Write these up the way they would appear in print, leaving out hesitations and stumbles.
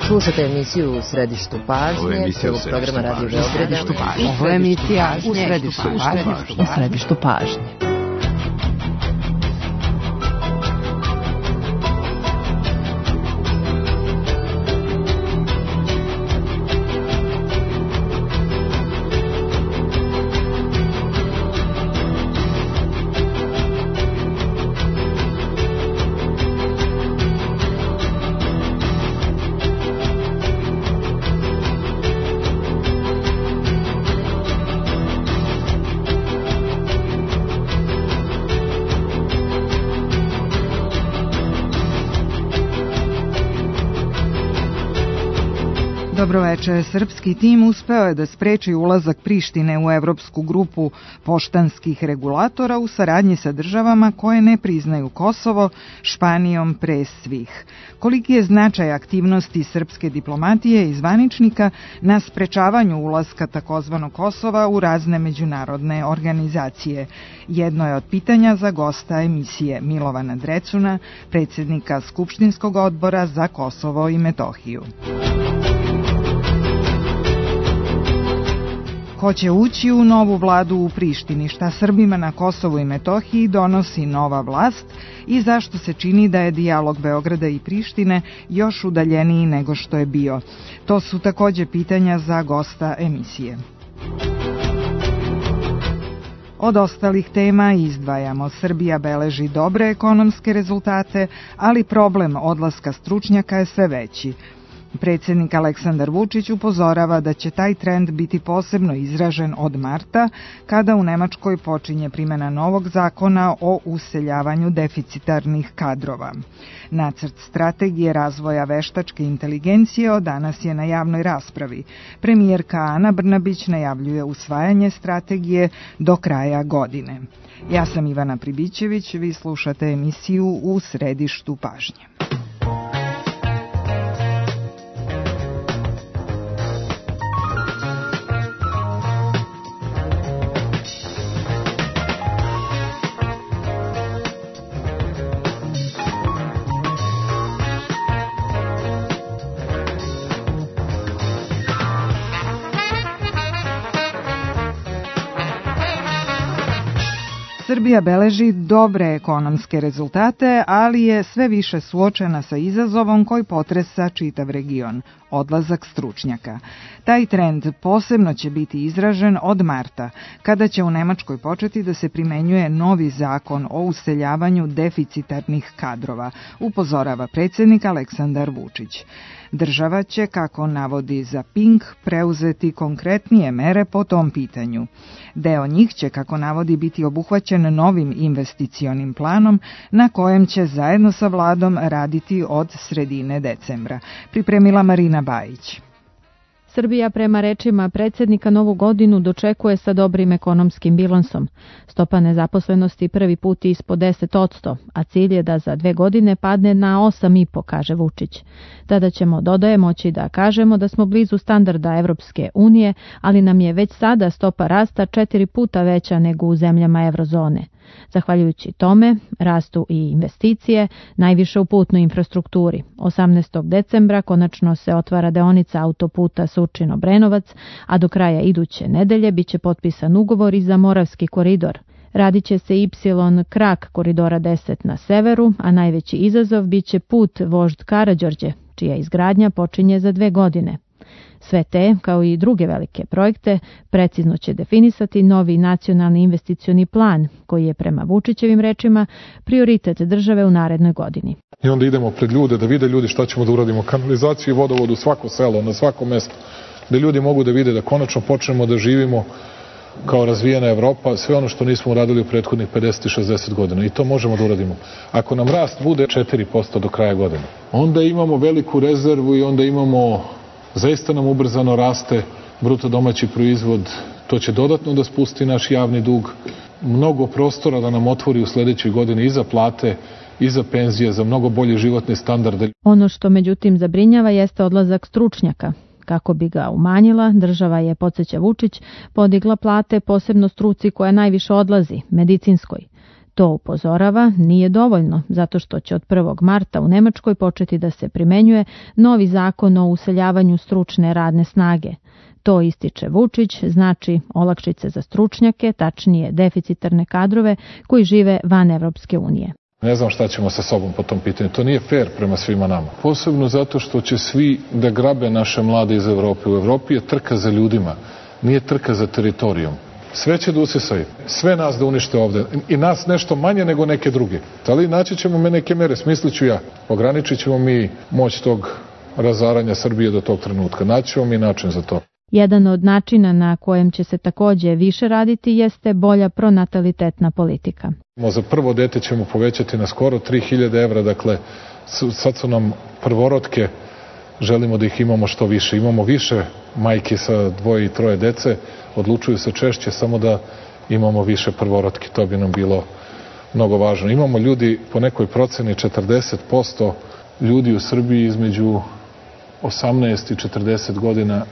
Slušate emisiju U središtu pažnje, celog programa Radio Beograda. Ovo je emisija U središtu pažnje. Dobroveče. Srpski tim uspeo je da spreči ulazak Prištine u Evropsku grupu poštanskih regulatora u saradnji sa državama koje ne priznaju Kosovo, Španijom pre svih. Koliki je značaj aktivnosti srpske diplomatije i zvaničnika na sprečavanju ulaska takozvanog Kosova u razne međunarodne organizacije? Jedno je od pitanja za gosta emisije Milovana Drecuna, predsjednika Skupštinskog odbora za Kosovo i Metohiju. Ko će ući u novu vladu u Prištini, šta Srbima na Kosovu i Metohiji donosi nova vlast i zašto se čini da je dijalog Beograda i Prištine još udaljeniji nego što je bio. To su takođe pitanja za gosta emisije. Od ostalih tema izdvajamo: Srbija beleži dobre ekonomske rezultate, ali problem odlaska stručnjaka je sve veći. Predsjednik Aleksandar Vučić upozorava da će taj trend biti posebno izražen od marta, kada u Nemačkoj počinje primjena novog zakona o useljavanju deficitarnih kadrova. Nacrt strategije razvoja veštačke inteligencije od danas je na javnoj raspravi. Premijerka Ana Brnabić najavljuje usvajanje strategije do kraja godine. Ja sam Ivana Pribićević, vi slušate emisiju U središtu pažnje. Srbija beleži dobre ekonomske rezultate, ali je sve više suočena sa izazovom koji potresa čitav region – odlazak stručnjaka. Taj trend posebno će biti izražen od marta, kada će u Nemačkoj početi da se primenjuje novi zakon o useljavanju deficitarnih kadrova, upozorava predsjednik Aleksandar Vučić. Država će, kako navodi za Pink, preuzeti konkretnije mere po tom pitanju. Deo njih će, kako navodi, biti obuhvaćen novim investicionim planom na kojem će zajedno sa vladom raditi od sredine decembra. Pripremila Marina Bajić. Srbija prema rečima predsjednika novu godinu dočekuje sa dobrim ekonomskim bilansom. Stopa nezaposlenosti prvi put ispod 10%, a cilj je da za 2 godine padne na 8,5%, kaže Vučić. Tada ćemo, dodaje, moći da kažemo da smo blizu standarda Evropske unije, ali nam je već sada stopa rasta 4 puta veća nego u zemljama eurozone. Zahvaljujući tome, rastu i investicije, najviše u putnoj infrastrukturi. 18. decembra konačno se otvara deonica autoputa Surčin-Obrenovac, a do kraja iduće nedelje biće potpisan ugovor i za Moravski koridor. Radit će se Y krak koridora 10 na severu, a najveći izazov biće put Vožd Karađorđe, čija izgradnja počinje za 2 godine. Sve te, kao i druge velike projekte, precizno će definisati novi nacionalni investicioni plan, koji je prema Vučićevim rečima prioritet države u narednoj godini. I onda idemo pred ljude da vide ljudi šta ćemo da uradimo, kanalizaciju i vodovod u svako selo, na svako mesto, da ljudi mogu da vide da konačno počnemo da živimo kao razvijena Evropa, sve ono što nismo uradili u prethodnih 50 i 60 godina. I to možemo da uradimo. Ako nam rast bude 4% do kraja godine, onda imamo veliku rezervu i onda imamo, zaista nam ubrzano raste bruto domaći proizvod. To će dodatno da spusti naš javni dug, mnogo prostora da nam otvori u sledećoj godini i za plate, i za penzije, za mnogo bolje životne standarde. Ono što međutim zabrinjava jeste odlazak stručnjaka. Kako bi ga umanjila, država je, podsjeća Vučić, podigla plate posebno struci koja najviše odlazi, medicinskoj. To upozorava nije dovoljno, zato što će od 1. marta u Nemačkoj početi da se primenjuje novi zakon o useljavanju stručne radne snage. To, ističe Vučić, znači olakšice za stručnjake, tačnije deficitarne kadrove koji žive van Evropske unije. Ne znam šta ćemo sa sobom po tom pitanju. To nije fair prema svima nama. Posebno zato što će svi da grabe naše mlade iz Evrope. U Evropi je trka za ljudima, nije trka za teritorijom. Sve će da usisaju, sve nas da unište ovde. I nas nešto manje nego neke druge. Ali naći ćemo neke mere, smislit ću ja. Ograničit ćemo mi moć tog razaranja Srbije do tog trenutka. Naći ćemo mi način za to. Jedan od načina na kojem će se takođe više raditi jeste bolja pronatalitetna politika. Za prvo dete ćemo povećati na skoro 3000 evra, dakle sad su nam prvorotke, želimo da ih imamo što više. Imamo više majke sa 2 i 3 dece, odlučuju se češće samo da imamo više prvorotke, to bi nam bilo mnogo važno. Imamo ljudi, po nekoj proceni 40% ljudi u Srbiji između 18 i 40 godina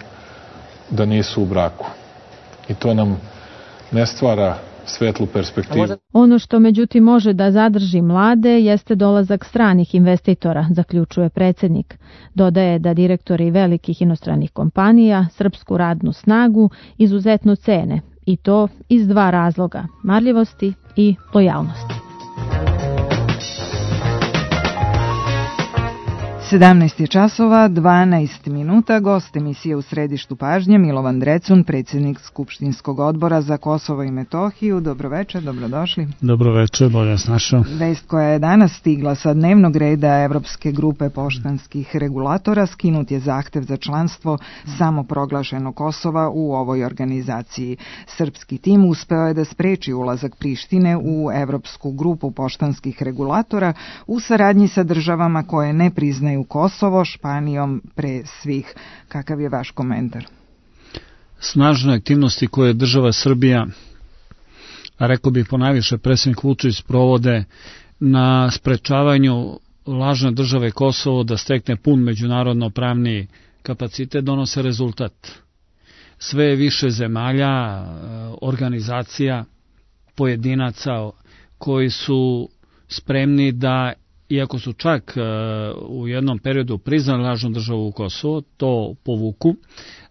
da nisu u braku. I to nam ne stvara svetlu perspektivu. Ono što međutim može da zadrži mlade jeste dolazak stranih investitora, zaključuje predsjednik. Dodaje da direktori velikih inostranih kompanija srpsku radnu snagu izuzetno cene, i to iz 2 razloga, marljivosti i lojalnosti. 17 časova, 12 minuta, gost emisije U središtu pažnje Milovan Drecun, predsjednik Skupštinskog odbora za Kosovo i Metohiju. Dobroveče, dobrodošli. Dobroveče, bolje vas našao. Vest koja je danas stigla sa dnevnog reda Evropske grupe poštanskih regulatora, skinut je zahtev za članstvo samoproglašenog Kosova u ovoj organizaciji. Srpski tim uspeo je da spreči ulazak Prištine u Evropsku grupu poštanskih regulatora u saradnji sa državama koje ne priznaju Kosovo, Španijom pre svih. Kakav je vaš komentar? Snažne aktivnosti koje država Srbija, a rekao bih ponajviše predsjednik Vučić, provode na sprečavanju lažne države Kosovo da stekne pun međunarodno pravni kapacitet, donose rezultat. Sve je više zemalja, organizacija, pojedinaca koji su spremni da, iako su čak u jednom periodu priznali lažnu državu Kosovo, to povuku,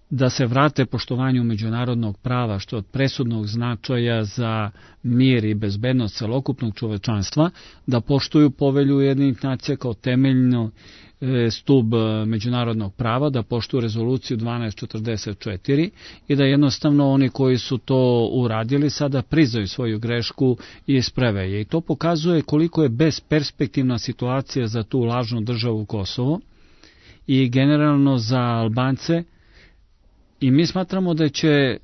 da se vrate poštovanju međunarodnog prava, što je od presudnog značaja za mir i bezbednost celokupnog čovečanstva, da poštuju povelju Ujedinjenih nacija kao temeljno stub međunarodnog prava, da poštuju rezoluciju 1244 i da jednostavno oni koji su to uradili sada priznaju svoju grešku i isprave je. I to pokazuje koliko je besperspektivna situacija za tu lažnu državu Kosovo i generalno za Albance, i mi smatramo da će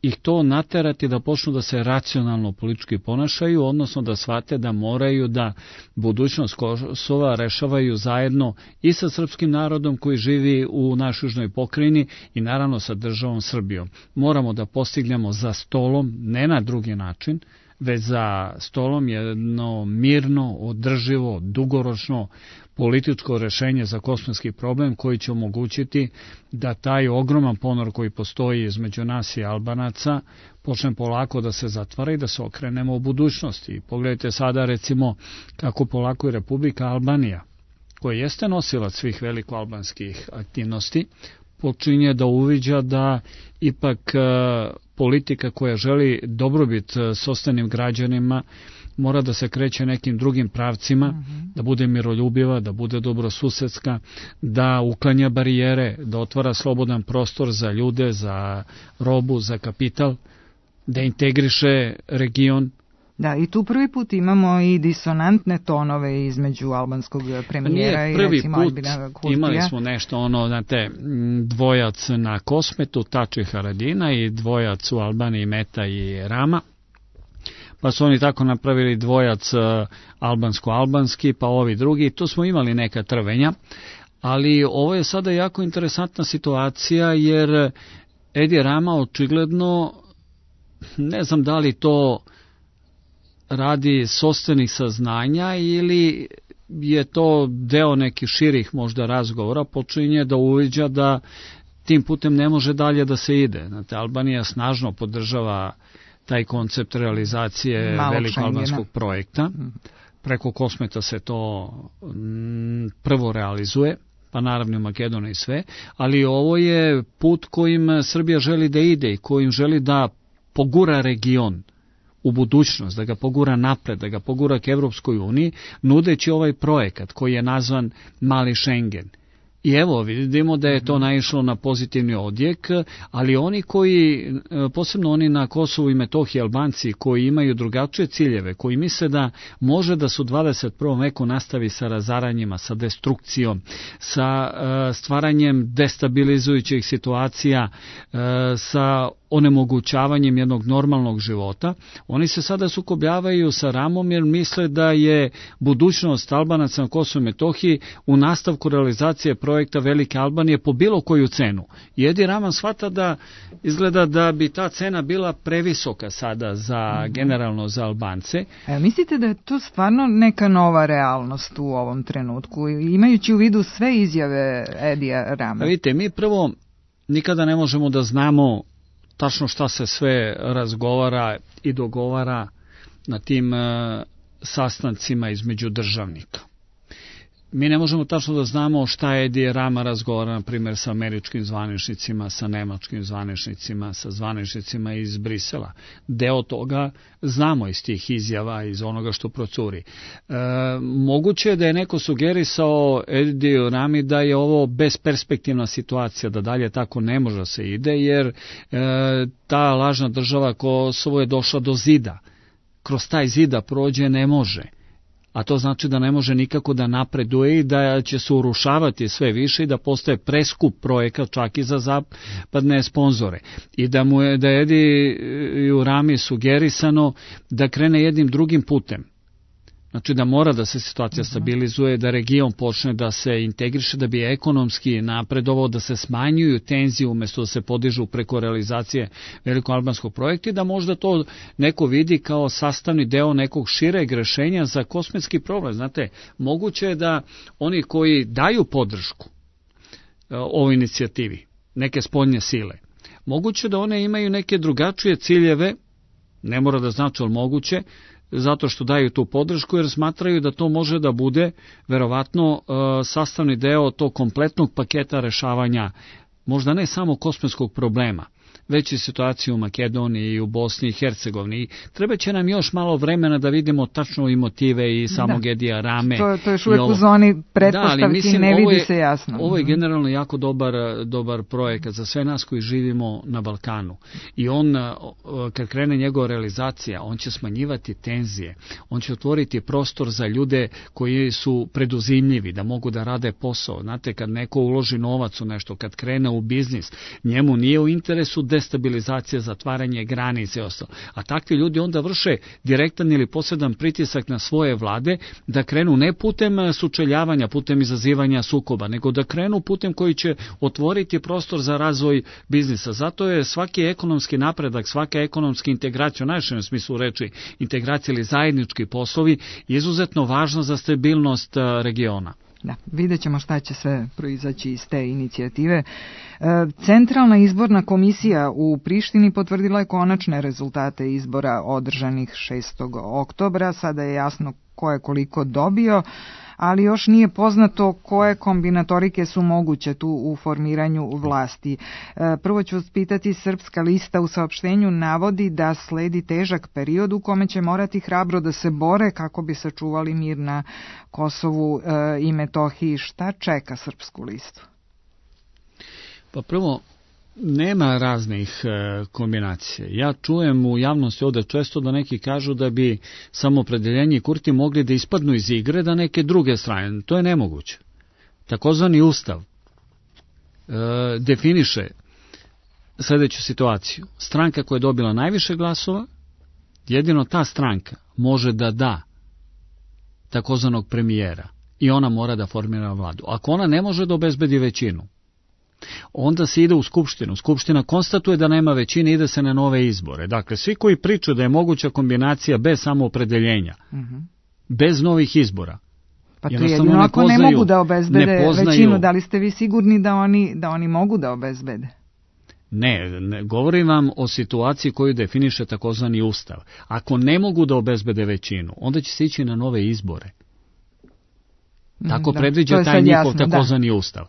ih to naterati da počnu da se racionalno politički ponašaju, odnosno da shvate da moraju da budućnost Kosova rešavaju zajedno i sa srpskim narodom koji živi u našoj južnoj pokrajini i naravno sa državom Srbijom. Moramo da postignemo za stolom, ne na drugi način, već za stolom jedno mirno, održivo, dugoročno političko rešenje za kosovski problem koji će omogućiti da taj ogroman ponor koji postoji između nas i Albanaca počne polako da se zatvara i da se okrenemo u budućnosti. Pogledajte sada recimo kako polako i Republika Albanija, koja jeste nosilac svih velikoalbanskih aktivnosti, počinje da uviđa da ipak politika koja želi dobrobit sopstvenim građanima mora da se kreće nekim drugim pravcima, da bude miroljubiva, da bude dobrosusedska, da uklanja barijere, da otvara slobodan prostor za ljude, za robu, za kapital, da integriše region. Da, i tu prvi put imamo i disonantne tonove između albanskog premijera i recimo Albina Kurtija. Imali smo nešto znate, dvojac na Kosmetu, Tači Haradina, i dvojac u Albaniji, Meta i Rama. Pa su oni tako napravili dvojac albansko-albanski, pa ovi drugi. Tu smo imali neka trvenja, ali ovo je sada jako interesantna situacija, jer Edi Rama očigledno, ne znam da li to radi sopstvenih saznanja ili je to deo nekih širih možda razgovora, počinje da uviđa da tim putem ne može dalje da se ide. Znate, Albanija snažno podržava taj koncept realizacije veliko-albanskog projekta. Preko Kosmeta se to prvo realizuje, pa naravno u Makedoniji sve, ali ovo je put kojim Srbija želi da ide i kojim želi da pogura region u budućnost, da ga pogura napred, da ga pogura k Evropskoj uniji, nudeći ovaj projekat koji je nazvan Mali Schengen. I evo, vidimo da je to naišlo na pozitivni odjek, ali oni koji, posebno oni na Kosovu i Metohiji, Albanci, koji imaju drugačije ciljeve, koji misle da može da se u 21. veku nastavi sa razaranjima, sa destrukcijom, sa stvaranjem destabilizujućih situacija, sa onemogućavanjem jednog normalnog života, oni se sada sukobljavaju sa Ramom jer misle da je budućnost Albanaca na Kosovu i Metohiji u nastavku realizacije projekta Velike Albanije po bilo koju cenu. I Edi Rama shvata da izgleda da bi ta cena bila previsoka sada za generalno za Albance. Mislite da je to stvarno neka nova realnost u ovom trenutku, imajući u vidu sve izjave Edija Rame? Vidite, mi prvo nikada ne možemo da znamo tačno šta se sve razgovara i dogovara na tim sastancima između državnika. Mi ne možemo tačno da znamo šta Edi Rama razgovara, na primjer, sa američkim zvaničnicima, sa nemačkim zvaničnicima, sa zvaničnicima iz Brisela. Deo toga znamo iz tih izjava, iz onoga što procuri. Moguće je da je neko sugerisao Ediju Rami da je ovo besperspektivna situacija, da dalje tako ne može se ide, jer ta lažna država Kosovo je došla do zida. Kroz taj zida prođe ne može. A to znači da ne može nikako da napreduje i da će se urušavati sve više i da postaje preskup projekat čak i za zapadne sponzore. I da je Ediju Rami sugerisano da krene jednim drugim putem. Znači da mora da se situacija stabilizuje, da region počne da se integriše, da bi ekonomski napredovao, da se smanjuju tenzije umjesto da se podižu preko realizacije veliko-albanskog projekta i da možda to neko vidi kao sastavni deo nekog šireg rešenja za kosmetski problem. Znate, moguće je da oni koji daju podršku ovoj inicijativi, neke spoljne sile, moguće da one imaju neke drugačije ciljeve, ne mora da znači, ali moguće, zato što daju tu podršku jer smatraju da to može da bude verovatno sastavni deo tog kompletnog paketa rešavanja, možda ne samo kosmetskog problema, već i situaciju u Makedoniji i u Bosni i Hercegovini. Treba će nam još malo vremena da vidimo tačno i motive i samog Edija Rame. To je još uvijek u zoni pretpostavki, ne vidi se jasno. Ovo je generalno jako dobar projekat za sve nas koji živimo na Balkanu. I on, kad krene njegova realizacija, on će smanjivati tenzije, on će otvoriti prostor za ljude koji su preduzimljivi, da mogu da rade posao. Znate, kad neko uloži novac u nešto, kad krene u biznis, njemu nije u interesu destabilizacija, zatvaranje granice i ostalo. A takvi ljudi onda vrše direktan ili posredan pritisak na svoje vlade da krenu ne putem sučeljavanja, putem izazivanja sukoba, nego da krenu putem koji će otvoriti prostor za razvoj biznisa. Zato je svaki ekonomski napredak, svaka ekonomska integracija, u najširem smislu reči integracija ili zajednički poslovi, izuzetno važna za stabilnost regiona. Da, vidjet ćemo šta će sve proizaći iz te inicijative. Centralna izborna komisija u Prištini potvrdila je konačne rezultate izbora održanih 6. oktobra. Sada je jasno ko je koliko dobio, ali još nije poznato koje kombinatorike su moguće tu u formiranju vlasti. Prvo ću vas pitati, Srpska lista u saopštenju navodi da sledi težak period u kome će morati hrabro da se bore kako bi sačuvali mir na Kosovu i Metohiji. Šta čeka Srpsku listu? Pa prvo, nema raznih kombinacija. Ja čujem u javnosti ovde često da neki kažu da bi samoopredeljenje i Kurti mogli da ispadnu iz igre da neke druge strane. To je nemoguće. Takozvani ustav definiše sledeću situaciju. Stranka koja je dobila najviše glasova, jedino ta stranka može da da takozvanog premijera i ona mora da formira vladu. Ako ona ne može da obezbedi većinu, onda se ide u Skupštinu. Skupština konstatuje da nema većine, ide se na nove izbore. Dakle, svi koji pričaju da je moguća kombinacija bez samoopredeljenja, bez novih izbora, pa to jedino ako ne mogu da obezbede većinu, da li ste vi sigurni da oni mogu da obezbede? Ne, govorim vam o situaciji koju definiše takozvani ustav. Ako ne mogu da obezbede većinu, onda će se ići na nove izbore. Tako predviđa taj njihov takozvani ustav.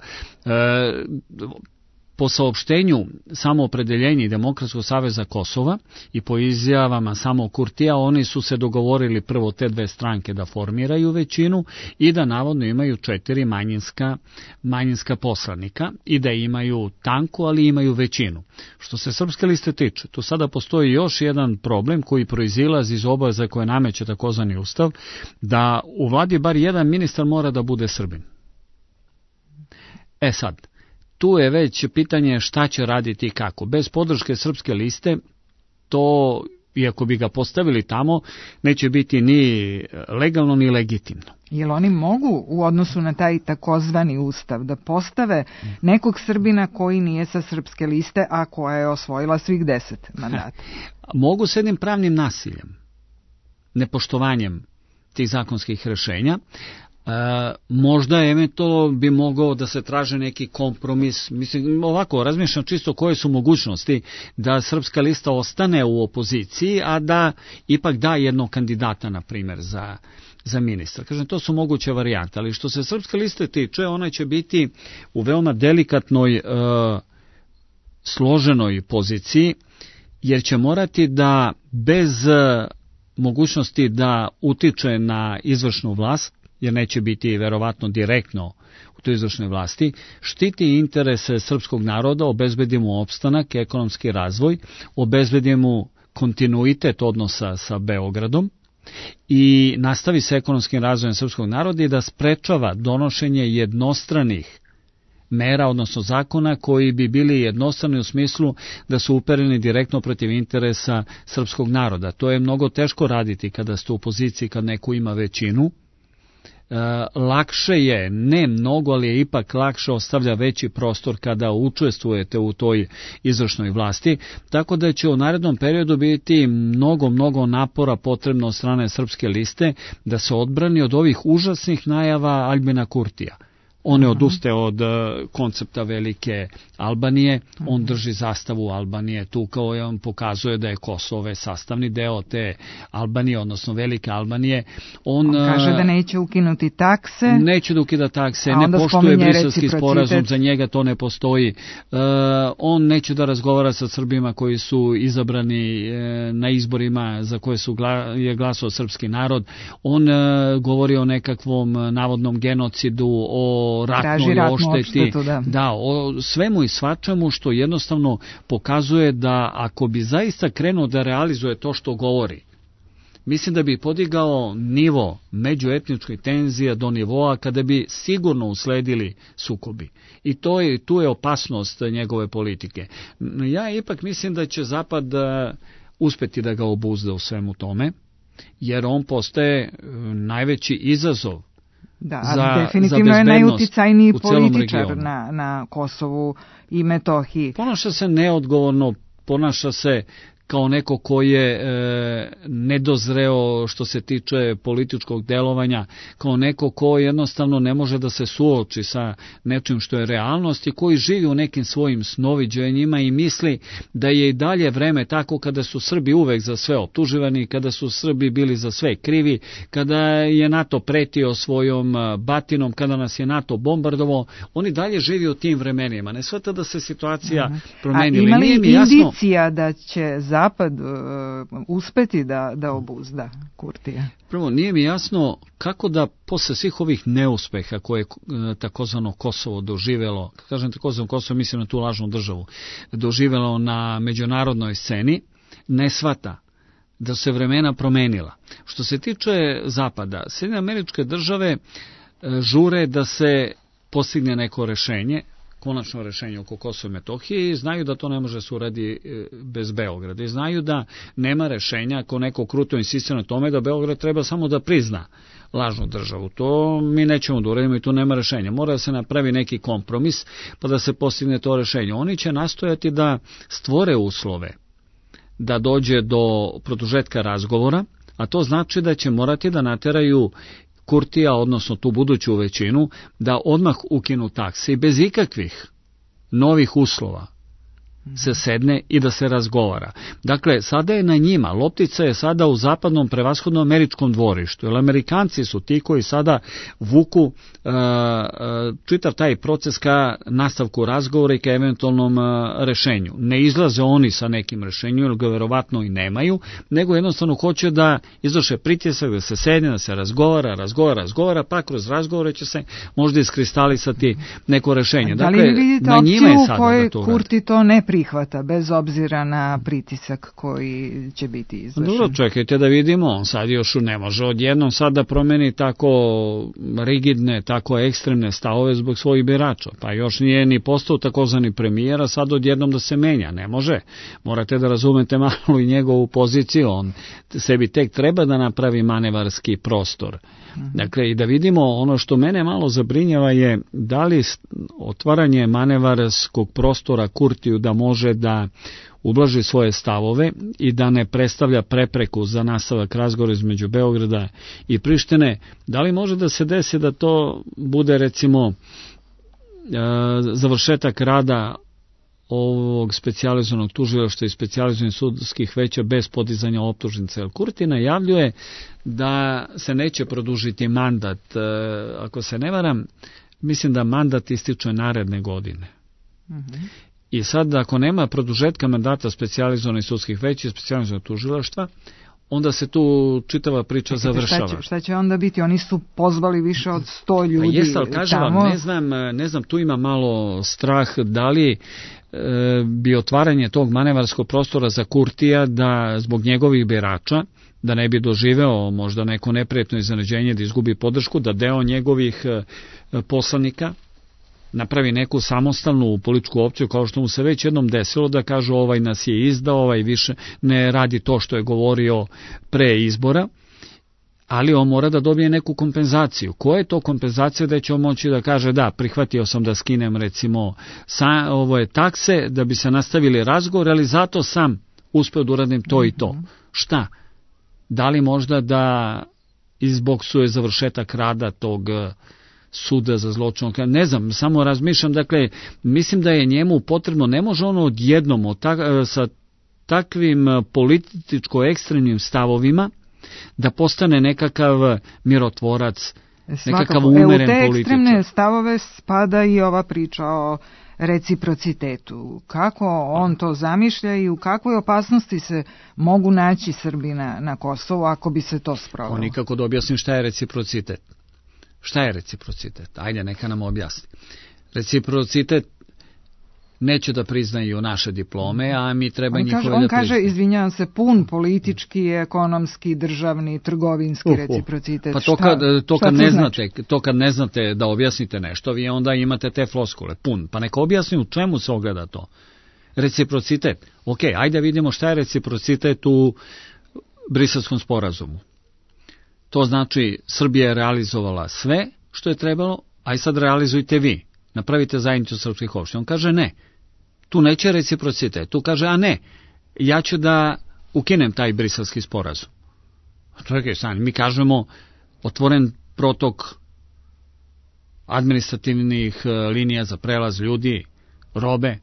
Po saopštenju Samoopredeljenja i Demokratskog saveza Kosova i po izjavama samo Kurtija, oni su se dogovorili prvo te dve stranke da formiraju većinu i da navodno imaju 4 manjinska poslanika i da imaju tanku, ali imaju većinu. Što se Srpske liste tiče, tu sada postoji još jedan problem koji proizilazi iz obaveza koje nameće takozvani ustav, da u vladi bar jedan ministar mora da bude Srbin. Sad, tu je već pitanje šta će raditi i kako. Bez podrške Srpske liste, to, iako bi ga postavili tamo, neće biti ni legalno ni legitimno. Jel oni mogu u odnosu na taj takozvani ustav da postave nekog Srbina koji nije sa Srpske liste, a koja je osvojila svih 10 mandata? Mogu s jednim pravnim nasiljem, nepoštovanjem tih zakonskih rešenja. Možda eventualno bi mogao da se traže neki kompromis. Mislim, ovako, razmišljam čisto koje su mogućnosti da Srpska lista ostane u opoziciji, a da ipak da jednog kandidata, na primjer, za ministra. Kažem, to su moguće varijante, ali što se Srpske liste tiče, ona će biti u veoma delikatnoj, složenoj poziciji, jer će morati da bez mogućnosti da utiče na izvršnu vlast, jer neće biti verovatno direktno u toj izvršnoj vlasti, štiti interese srpskog naroda, obezbedi mu opstanak, ekonomski razvoj, obezbedi mu kontinuitet odnosa sa Beogradom i nastavi sa ekonomskim razvojem srpskog naroda i da sprečava donošenje jednostranih mera, odnosno zakona koji bi bili jednostrani u smislu da su upereni direktno protiv interesa srpskog naroda. To je mnogo teško raditi kada ste u poziciji, kad neko ima većinu. Lakše je, ne mnogo, ali je ipak lakše, ostavlja veći prostor kada učestvujete u toj izvršnoj vlasti, tako da će u narednom periodu biti mnogo napora potrebno od strane Srpske liste da se odbrani od ovih užasnih najava Aljbina Kurtija. On ne odustaje od koncepta velike Albanije, on drži zastavu Albanije tu, kao je on pokazuje da je Kosovo sastavni deo te Albanije, odnosno velike Albanije. On kaže da neće ukinuti takse. Neće da ukida takse, ne poštuje Briselski sporazum, za njega to ne postoji. On neće da razgovara sa Srbima koji su izabrani na izborima za koje je glasao srpski narod. On govori o nekakvom navodnom genocidu, o ratnoj ošteti, da, o svemu i svačemu, što jednostavno pokazuje da ako bi zaista krenuo da realizuje to što govori, mislim da bi podigao nivo međuetničkih tenzija do nivoa kada bi sigurno usledili sukobi. I tu je opasnost njegove politike. Ja ipak mislim da će Zapad uspeti da ga obuzda u svemu tome, jer on postaje najveći izazov. Da, ali definitivno je najuticajniji političar na Kosovu i Metohiji. Ponaša se neodgovorno, ponaša se kao neko koji je nedozreo što se tiče političkog delovanja, kao neko ko jednostavno ne može da se suoči sa nečim što je realnost i koji živi u nekim svojim snoviđenjima i misli da je i dalje vreme tako kada su Srbi uvek za sve optuživani, kada su Srbi bili za sve krivi, kada je NATO pretio svojom batinom, kada nas je NATO bombardovao, oni dalje živi u tim vremenima. Ne shvata da se situacija promenila. A ima li indicija da će Zapad uspeti da obuzda Kurtija? Prvo, nije mi jasno kako da posle svih ovih neuspeha koje je takozvano Kosovo doživelo, kažem takozvano Kosovo, mislim na tu lažnu državu, doživelo na međunarodnoj sceni, ne shvata da se vremena promenila. Što se tiče Zapada, Sjedinjene Američke Države žure da se postigne neko rešenje, konačno rešenje oko Kosova i Metohije, i znaju da to ne može se uradi bez Beograda. I znaju da nema rešenja ako neko kruto insistira na tome da Beograd treba samo da prizna lažnu državu. To mi nećemo da uradimo i tu nema rešenja. Mora da se napravi neki kompromis pa da se postigne to rešenje. Oni će nastojati da stvore uslove da dođe do produžetka razgovora, a to znači da će morati da nateraju Kurtija, odnosno tu buduću većinu, da odmah ukinu takse i bez ikakvih novih uslova se sedne i da se razgovara. Dakle, sada je na njima, loptica je sada u zapadnom, prevashodno američkom dvorištu, jer Amerikanci su ti koji sada vuku čitav taj proces ka nastavku razgovora i ka eventualnom rešenju. Ne izlaze oni sa nekim rešenjem, jer ga verovatno i nemaju, nego jednostavno hoće da izvrše pritisak, da se sedne, da se razgovara, pa kroz razgovore će se možda iskristalisati neko rešenje. Da li dakle, vidite opciju u kojoj Kurti to ne prihvata, bez obzira na pritisak koji će biti izvršen? Dobro, čekajte da vidimo, sad još ne može odjednom sad da promeni tako rigidne, tako ekstremne stavove zbog svojih birača, pa još nije ni postao takozvani premijer, a sad odjednom da se menja, ne može. Morate da razumete malo i njegovu poziciju, on sebi tek treba da napravi manevarski prostor. Dakle, i da vidimo, ono što mene malo zabrinjava je da li otvaranje manevarskog prostora Kurtiju da može da ublaži svoje stavove i da ne predstavlja prepreku za nastavak razgovora između Beograda i Prištine, da li može da se desi da to bude recimo završetak rada ovog specijalizovanog tužilaštva i specijalizovanih sudskih veća bez podizanja optužnice. Kurti najavljuje da se neće produžiti mandat. Ako se ne varam, mislim da mandat ističe naredne godine. I sad, ako nema produžetka mandata specijalizovanih sudskih veća i specijalizovanog tužilaštva, onda se tu čitava priča završava. Šta će onda biti? Oni su pozvali više od 100 ljudi pa jest, ali kažem tamo. Vam, ne znam, tu ima malo strah da li bi otvaranje tog manevarskog prostora za Kurtija da zbog njegovih birača, da ne bi doživeo možda neko neprijatno iznenađenje da izgubi podršku, da deo njegovih poslanika napravi neku samostalnu političku opciju, kao što mu se već jednom desilo, da kažu ovaj nas je izdao, ovaj više ne radi to što je govorio pre izbora, ali on mora da dobije neku kompenzaciju. Koja je to kompenzacija da će on moći da kaže da, prihvatio sam da skinem recimo ovo takse da bi se nastavili razgovor, ali zato sam uspeo da uradim to i to. Šta? Da li možda da izboksuje završetak rada tog suda za zločin? Ne znam, samo razmišljam, dakle, mislim da je njemu potrebno, ne može ono odjednom sa takvim političko-ekstremnim stavovima da postane nekakav mirotvorac, nekakav umeren političar. U te ekstremne stavove spada i ova priča o reciprocitetu. Kako on to zamišlja i u kakvoj opasnosti se mogu naći Srbi na Kosovu ako bi se to sprovelo? On nikako da objasnim šta je reciprocitet. Šta je reciprocitet? Ajde, neka nam objasni. Reciprocitet neće da priznaju naše diplome, a mi treba njihove da priznaju. On kaže, izvinjavam se, pun politički, ekonomski, državni, trgovinski reciprocitet. Pa to kad ne znate da objasnite nešto, vi onda imate te floskule, pun. Pa neka objasni u čemu se ogleda to. Reciprocitet. Ok, ajde vidimo šta je reciprocitet u Briselskom sporazumu. To znači, Srbija je realizovala sve što je trebalo, a i sad realizujte vi. Napravite zajednicu srpskih opština. On kaže ne. Tu neće reciprocitet. Tu kaže, a ne, ja ću da ukinem taj Briselski sporazum. Čekaj, mi kažemo otvoren protok administrativnih linija za prelaz ljudi, robe.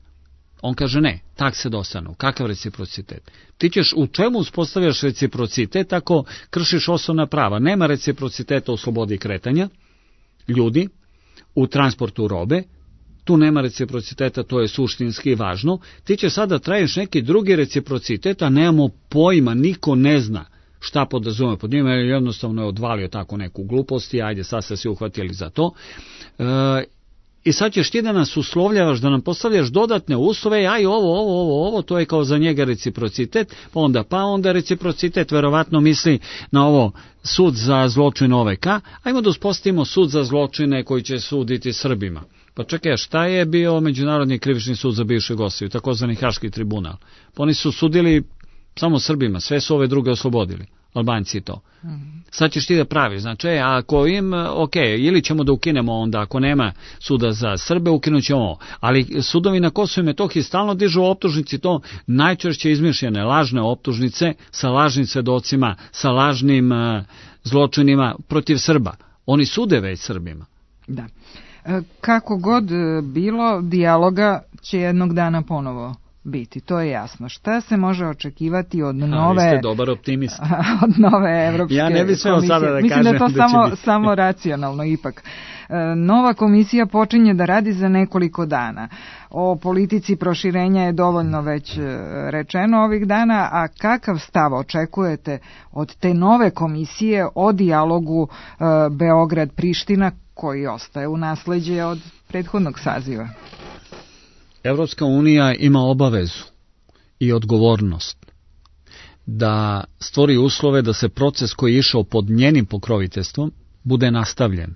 On kaže ne, takse dostanu. Kakav reciprocitet? Ti ćeš u čemu uspostavljaš reciprocitet ako kršiš osnovna prava? Nema reciprociteta u slobodi kretanja ljudi, u transportu robe, tu nema reciprociteta, to je suštinski važno. Ti će sada traješ neki drugi reciprocitet, a nemamo pojma, niko ne zna šta podrazume pod njima, jednostavno je odvalio tako neku glupost i ajde, sad ste se uhvatili za to. I sad ćeš ti da nas uslovljavaš, da nam postavljaš dodatne uslove, aj ovo, to je kao za njega reciprocitet, pa onda reciprocitet verovatno misli na ovo sud za zločine OVK, ajmo da uspostavimo sud za zločine koji će suditi Srbima. Pa čekaj, šta je bio Međunarodni krivični sud za bivšu Jugoslaviju, takozvani Haški tribunal? Pa oni su sudili samo Srbima, sve su ove druge oslobodili, Albanci to. Sad ćeš ti da praviš, znači, ako ili ćemo da ukinemo onda, ako nema suda za Srbe, ukinut ćemo ovo. Ali sudovi na Kosovu i Metohiji stalno dižu optužnici, to najčešće izmišljene lažne optužnice sa lažnim svedocima, sa lažnim zločinima protiv Srba. Oni sude već Srbima. Da. Kako god bilo, dijaloga će jednog dana ponovo biti, to je jasno. Šta se može očekivati od nove... Vi ste dobar optimist. Od nove Evropske ja ne bih smeo sada da mislim kažem da to samo racionalno ipak. Nova komisija počinje da radi za nekoliko dana. O politici proširenja je dovoljno već rečeno ovih dana, a kakav stav očekujete od te nove komisije o dijalogu Beograd-Priština koji ostaje u nasleđe od prethodnog saziva? Evropska unija ima obavezu i odgovornost da stvori uslove da se proces koji je išao pod njenim pokroviteljstvom bude nastavljen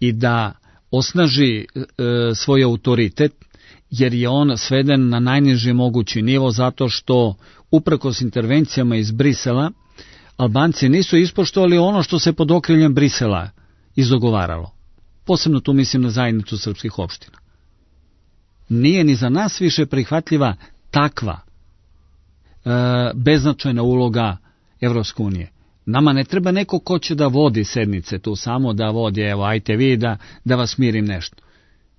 i da osnaži svoj autoritet, jer je on sveden na najniži mogući nivo zato što uprkos intervencijama iz Brisela Albanci nisu ispoštovali ono što se pod okriljem Brisela izdogovaralo. Posebno tu mislim na zajednicu srpskih opština. Nije ni za nas više prihvatljiva takva beznačajna uloga Evropske unije. Nama ne treba neko ko će da vodi sednice tu samo, da vodi, evo, ajte vi da vas mirim nešto.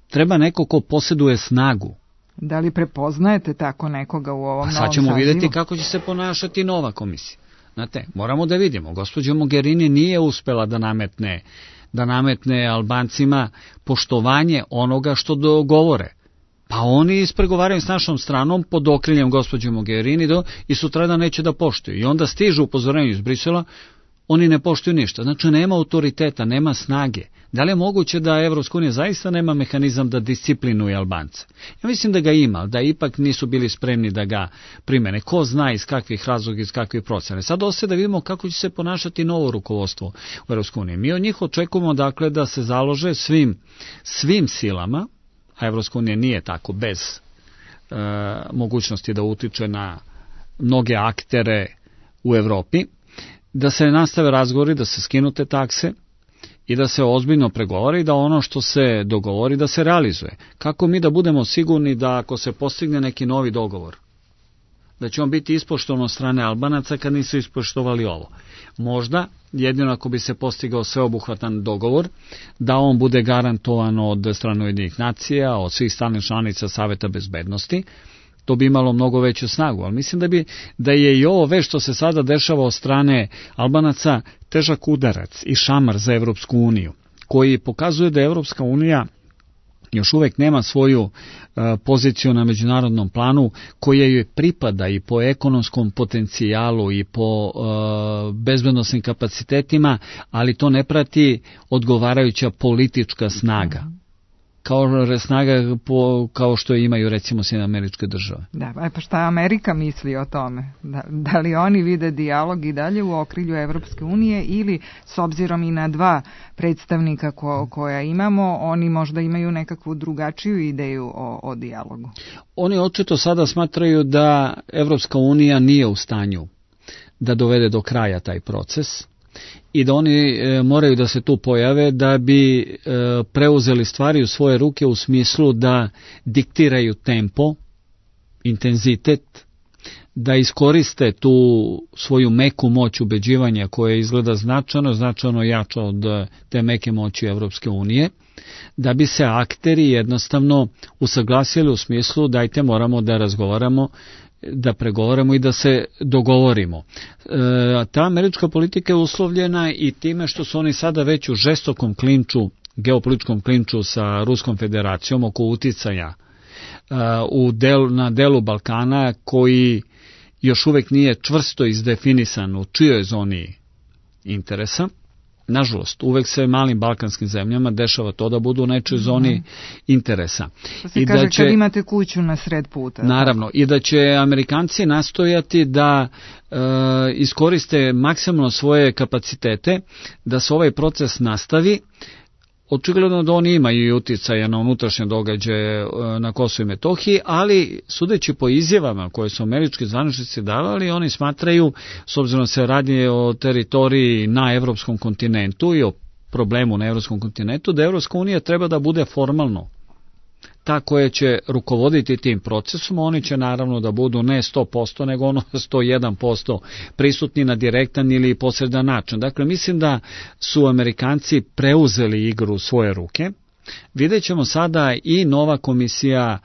Treba neko ko posjeduje snagu. Da li prepoznajete tako nekoga u ovom novom sazivu? Sad ćemo vidjeti kako će se ponašati nova komisija. Znate, moramo da vidimo. Gospođa Mogherini nije uspela da nametne Albancima poštovanje onoga što dogovore. Pa oni ispregovaraju s našom stranom pod okriljem gospođe Mogherini i sutradan neće da poštuju. I onda stižu upozorenje iz Brisela, oni ne poštuju ništa. Znači nema autoriteta, nema snage. Da li je moguće da Evropska unija zaista nema mehanizam da disciplinuje Albance? Ja mislim da ga ima, da ipak nisu bili spremni da ga primene. Ko zna iz kakvih razloga, iz kakvih procena. Sad ostaje da vidimo kako će se ponašati novo rukovodstvo u Evropskoj uniji. Mi od njih očekujemo dakle da se založe svim silama, a Evropska unija nije tako bez mogućnosti da utiče na mnoge aktere u Evropi, da se nastave razgovori, da se skinu te takse i da se ozbiljno pregovori, da ono što se dogovori da se realizuje. Kako mi da budemo sigurni da ako se postigne neki novi dogovor, da će on biti ispoštovan od strane Albanaca kad nisu ispoštovali ovo? Možda, jedino ako bi se postigao sveobuhvatan dogovor, da on bude garantovan od strane Ujedinjenih nacija, od svih stalnih članica Saveta bezbednosti, to bi imalo mnogo veću snagu. Ali mislim da je i ovo već što se sada dešava od strane Albanaca težak udarac i šamar za Evropsku uniju, koji pokazuje da Evropska unija još uvek nema svoju poziciju na međunarodnom planu koja joj pripada i po ekonomskom potencijalu i po bezbednosnim kapacitetima, ali to ne prati odgovarajuća politička snaga. Kao što imaju recimo Sjedinjene Američke Države. Da, pa šta Amerika misli o tome? Da li oni vide dijalog i dalje u okrilju Evropske unije ili s obzirom i na dva predstavnika koja imamo, oni možda imaju nekakvu drugačiju ideju o dijalogu? Oni očito sada smatraju da Evropska unija nije u stanju da dovede do kraja taj proces i da oni moraju da se tu pojave da bi preuzeli stvari u svoje ruke u smislu da diktiraju tempo, intenzitet, da iskoriste tu svoju meku moć ubeđivanja koja izgleda značajno jača od te meke moći Evropske unije, da bi se akteri jednostavno usaglasili u smislu dajte moramo da razgovaramo, da pregovaramo i da se dogovorimo. Ta američka politika je uslovljena i time što su oni sada već u žestokom klinču, geopolitičkom klinču sa Ruskom federacijom oko uticaja na delu Balkana koji još uvek nije čvrsto izdefinisan u čijoj zoni interesa. Nažalost, uvek se malim balkanskim zemljama dešava to da budu u nečoj zoni interesa. To se kaže kad imate kuću na sred puta. Naravno, i da će Amerikanci nastojati da iskoriste maksimalno svoje kapacitete, da se ovaj proces nastavi. Očigledno da oni imaju i uticaja na unutrašnje događaje na Kosovu i Metohiji, ali sudeći po izjavama koje su američki zvaničnici davali, oni smatraju, s obzirom da se radi o teritoriji na evropskom kontinentu i o problemu na evropskom kontinentu, da Evropska unija treba da bude formalno ta koja će rukovoditi tim procesom. Oni će naravno da budu ne 100%, nego 101% prisutni na direktan ili posredan način. Dakle, mislim da su Amerikanci preuzeli igru u svoje ruke. Vidjet ćemo sada i nova komisija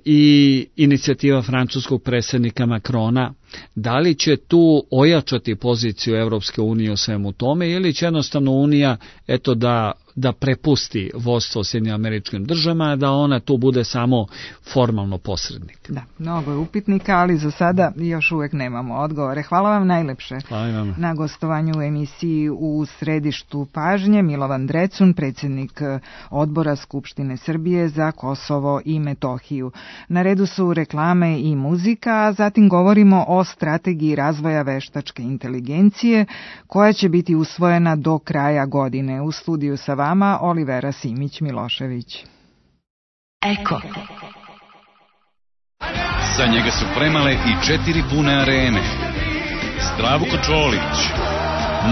i inicijativa francuskog predsjednika Macrona. Da li će tu ojačati poziciju Evropske unije u svemu tome ili će jednostavno Unija da prepusti vodstvo Sjedinjenim Američkim Državama, da ona tu bude samo formalno posrednik? Da, mnogo je upitnika, ali za sada još uvek nemamo odgovore. Hvala vam najlepše. Hvala vam. Na gostovanju u emisiji U središtu pažnje Milovan Drecun, predsjednik Odbora Skupštine Srbije za Kosovo i Metohiju. Na redu su reklame i muzika, a zatim govorimo o strategiji razvoja veštačke inteligencije koja će biti usvojena do kraja godine. U studiju sa vama Olivera Simić-Milošević. Eko. Za njega su spremale i 4 pune arene. Zdravko Čolić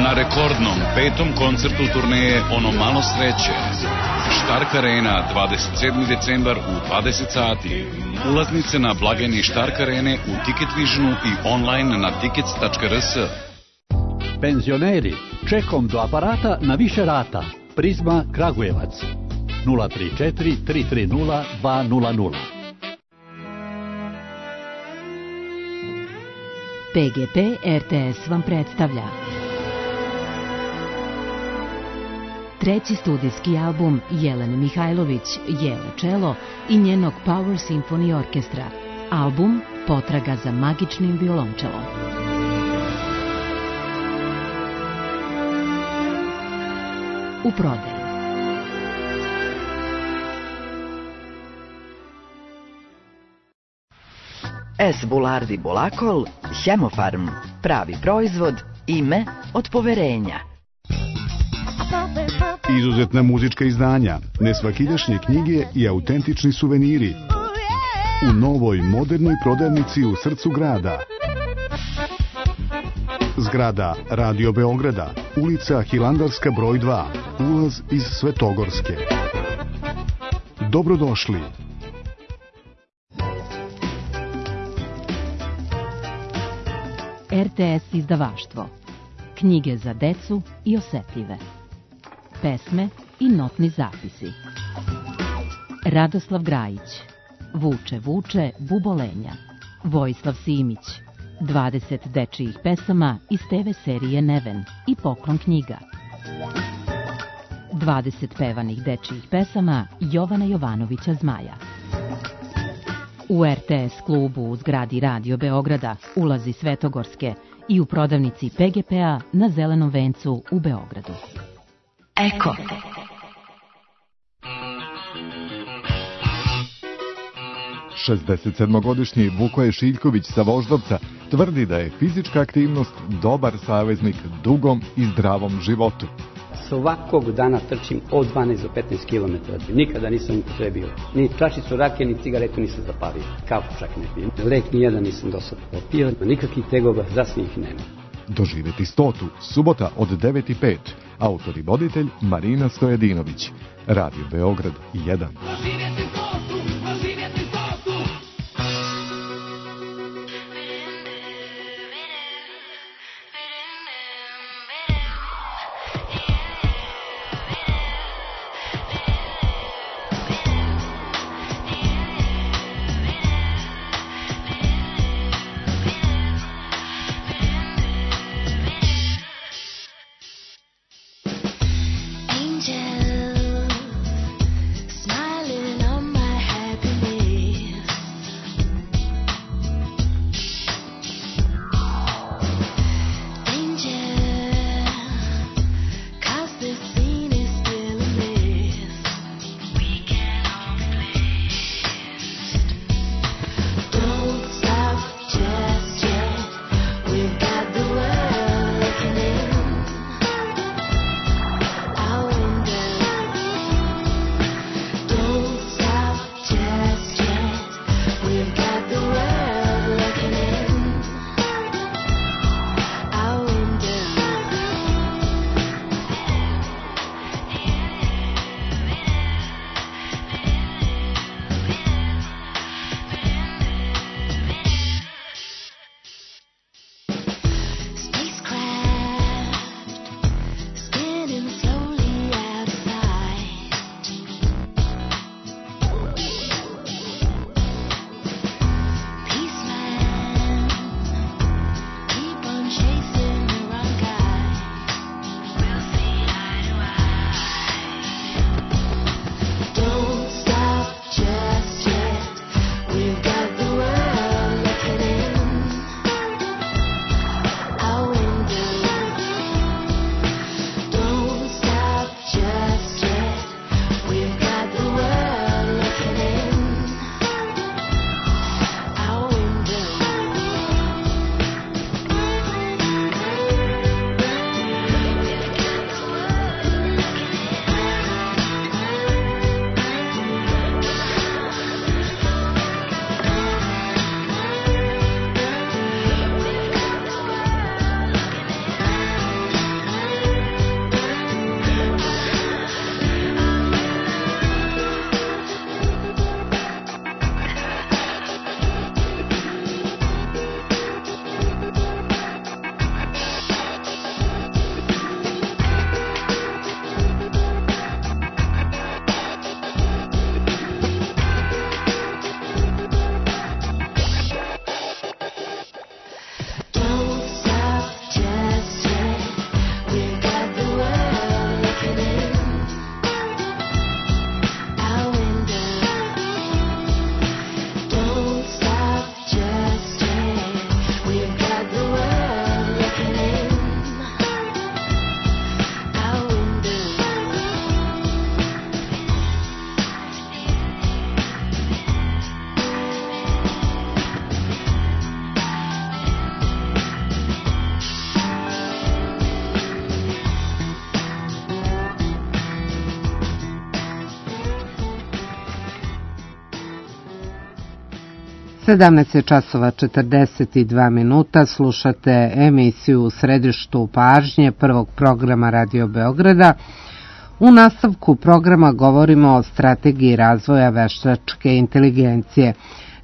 na rekordnom 5. koncertu turneje Ono malo sreće. Štark Arena, 27. decembar u 20 sati. Ulaznice na blagajni Štark Arene u Ticket Visionu i online na tickets.rs. Penzioneri, čekom do aparata na više rata. Prizma Kragujevac 034 330 200. PGP RTS vam predstavlja treći studijski album Jelene Mihajlović, Jele Čelo i njenog Power Symphony Orkestra. Album Potraga za magičnim violončelom. U prodaju. S. Bulardi Bulakol, Hemofarm, pravi proizvod, ime od poverenja. Izuzetna muzička izdanja, nesvakidašnje knjige i autentični suveniri. U novoj modernoj prodavnici u srcu grada. Zgrada Radio Beograda, ulica Hilandarska broj 2, ulaz iz Svetogorske. Dobrodošli. RTS izdavaštvo. Knjige za decu i osetljive. Pesme i notni zapisi. Radoslav Grajić. Vuče, vuče, bubolenja. Vojislav Simić. 20 dečijih pesama iz TV serije Neven i Poklon knjiga. 20 pevanih dečijih pesama Jovana Jovanovića Zmaja. U RTS klubu u zgradi Radio Beograda, ulazi Svetogorske i u prodavnici PGP-a na Zelenom vencu u Beogradu. Eko. Šezdesetsedmogodišnji Vukoje Šiljković sa Voždovca tvrdi da je fizička aktivnost dobar saveznik dugom i zdravom životu. Svakog dana trčim od 12 do 15 km. Nikada nisam upotrebio. Ni čašicu rakije, ni cigaretu nisam zapalio. Kafu čak ne pijem. Lek nijedan nisam do sada popio. Nikakvih tegova, zasnijih nema. Doživeti 100. Subota od 9:05. Autor i voditelj Marina Stojedinović. Radio Beograd 1. 17 časova 42 minuta, slušate emisiju U središtu pažnje prvog programa Radio Beograda. U nastavku programa govorimo o strategiji razvoja veštačke inteligencije.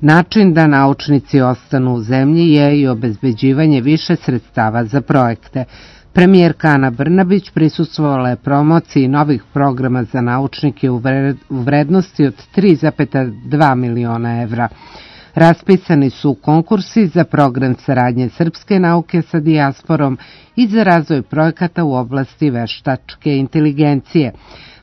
Način da naučnici ostanu u zemlji je i obezbeđivanje više sredstava za projekte. Premijerka Ana Brnabić prisustvovala je promociji novih programa za naučnike u vrednosti od 3,2 miliona evra. Raspisani su konkursi za program saradnje srpske nauke sa dijasporom i za razvoj projekata u oblasti veštačke inteligencije.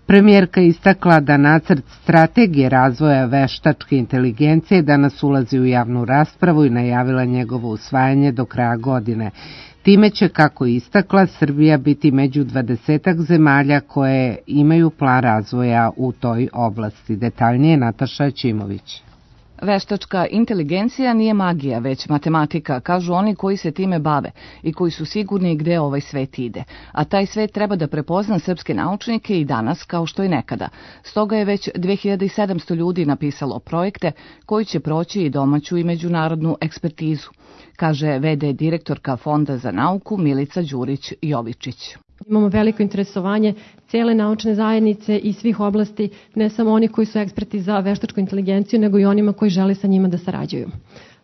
Premijerka istakla da nacrt strategije razvoja veštačke inteligencije danas ulazi u javnu raspravu i najavila njegovo usvajanje do kraja godine. Time će, kako istakla, Srbija biti među 20 zemalja koje imaju plan razvoja u toj oblasti. Detaljnije Nataša Ćimović. Veštačka inteligencija nije magija, već matematika, kažu oni koji se time bave i koji su sigurni gde ovaj svet ide. A taj svet treba da prepozna srpske naučnike i danas kao što i nekada. Stoga je već 2700 ljudi napisalo projekte koji će proći i domaću i međunarodnu ekspertizu, kaže v.d. direktorka Fonda za nauku Milica Đurić-Jovičić. Imamo veliko interesovanje cele naučne zajednice i svih oblasti, ne samo oni koji su eksperti za veštačku inteligenciju, nego i onima koji žele sa njima da sarađuju.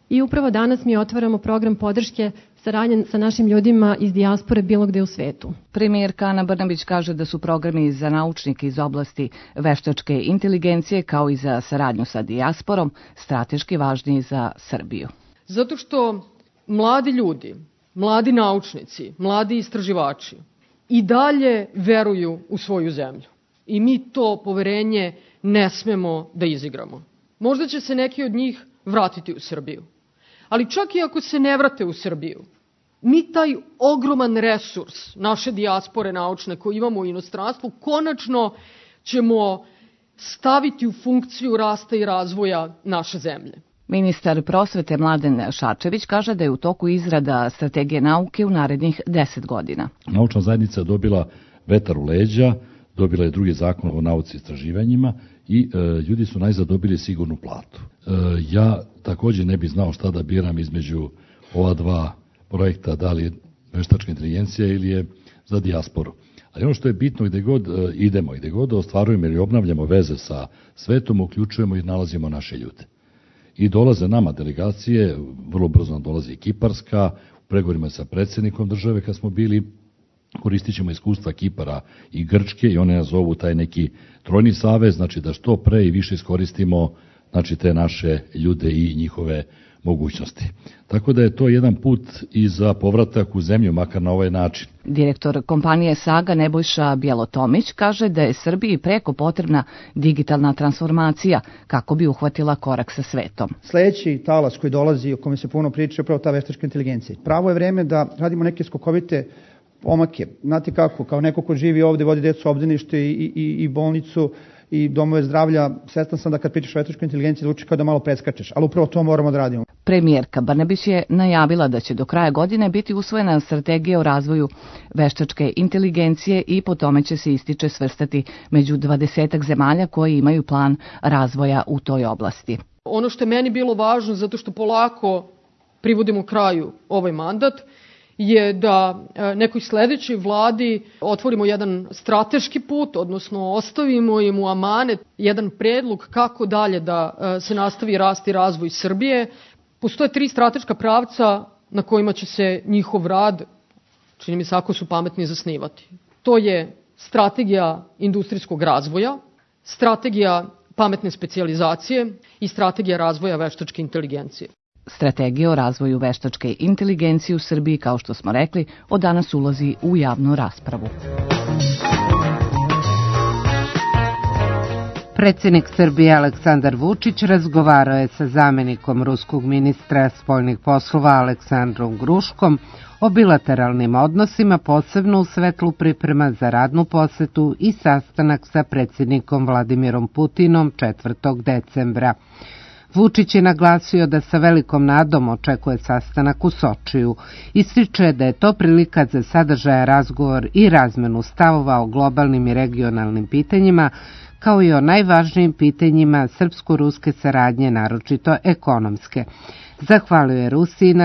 I upravo danas mi otvaramo program podrške saradnje sa našim ljudima iz dijaspore bilo gde u svetu. Premijerka Ana Brnabić kaže da su programi za naučnike iz oblasti veštačke inteligencije kao i za saradnju sa dijasporom strateški važniji za Srbiju. Zato što mladi ljudi, mladi naučnici, mladi istraživači i dalje veruju u svoju zemlju. I mi to poverenje ne smemo da izigramo. Možda će se neki od njih vratiti u Srbiju. Ali čak i ako se ne vrate u Srbiju, mi taj ogroman resurs naše dijaspore naučne koji imamo u inostranstvu konačno ćemo staviti u funkciju rasta i razvoja naše zemlje. Ministar prosvete Mladen Šarčević kaže da je u toku izrada strategije nauke u narednih 10 godina. Naučna zajednica je dobila vetar u leđa, dobila je drugi zakon o nauci i istraživanjima i ljudi su najzad dobili sigurnu platu. Ja također ne bih znao šta da biram između ova dva projekta, da li je veštačka inteligencija ili je za dijasporu. Ali ono što je bitno gde god idemo i gde god ostvarujemo ili obnavljamo veze sa svetom, uključujemo i nalazimo naše ljude. I dolaze nama delegacije, vrlo brzo nam dolazi i Kiparska, u pregovorima sa predsjednikom države kad smo bili, koristit ćemo iskustva Kipara i Grčke i one nas zovu taj neki trojni savez, znači da što pre i više iskoristimo znači te naše ljude i njihove mogućnosti. Tako da je to jedan put i za povratak u zemlju, makar na ovaj način. Direktor kompanije Saga Nebojša Bjelotomić kaže da je Srbiji preko potrebna digitalna transformacija kako bi uhvatila korak sa svetom. Sljedeći talas koji dolazi, o kome se puno priča, je upravo ta veštačka inteligencija. Pravo je vreme da radimo neke skokovite pomake. Znate kako, kao neko ko živi ovde, vodi decu u obdanište i bolnicu i domove zdravlja, svestan sam da kad pričaš o veštačkoj inteligenciji zvuči kao da malo preskačeš, ali upravo to moramo da radimo. Premijerka Brnabić je najavila da će do kraja godine biti usvojena strategija o razvoju veštačke inteligencije i po tome će se ističe svrstati među 20 zemalja koji imaju plan razvoja u toj oblasti. Ono što je meni bilo važno, zato što polako privodimo kraju ovaj mandat, je da nekoj sledećoj vladi otvorimo jedan strateški put, odnosno ostavimo im u amanet jedan predlog kako dalje da se nastavi rast i razvoj Srbije. Postoje 3 strateška pravca na kojima će se njihov rad, čini mi se ako su pametni, zasnivati. To je strategija industrijskog razvoja, strategija pametne specijalizacije i strategija razvoja veštačke inteligencije. Strategija o razvoju veštačke inteligencije u Srbiji, kao što smo rekli, od danas ulazi u javnu raspravu. Predsjednik Srbije Aleksandar Vučić razgovarao je sa zamjenikom ruskog ministra spoljnih poslova Aleksandrom Gruškom o bilateralnim odnosima, posebno u svetlu priprema za radnu posetu i sastanak sa predsjednikom Vladimirom Putinom 4. decembra. Vučić je naglasio da sa velikom nadom očekuje sastanak u Sočiju. Ističe da je to prilika za sadržaja razgovor i razmenu stavova o globalnim i regionalnim pitanjima, kao i o najvažnijim pitanjima srpsko-ruske saradnje, naročito ekonomske. Zahvalio je Rusiji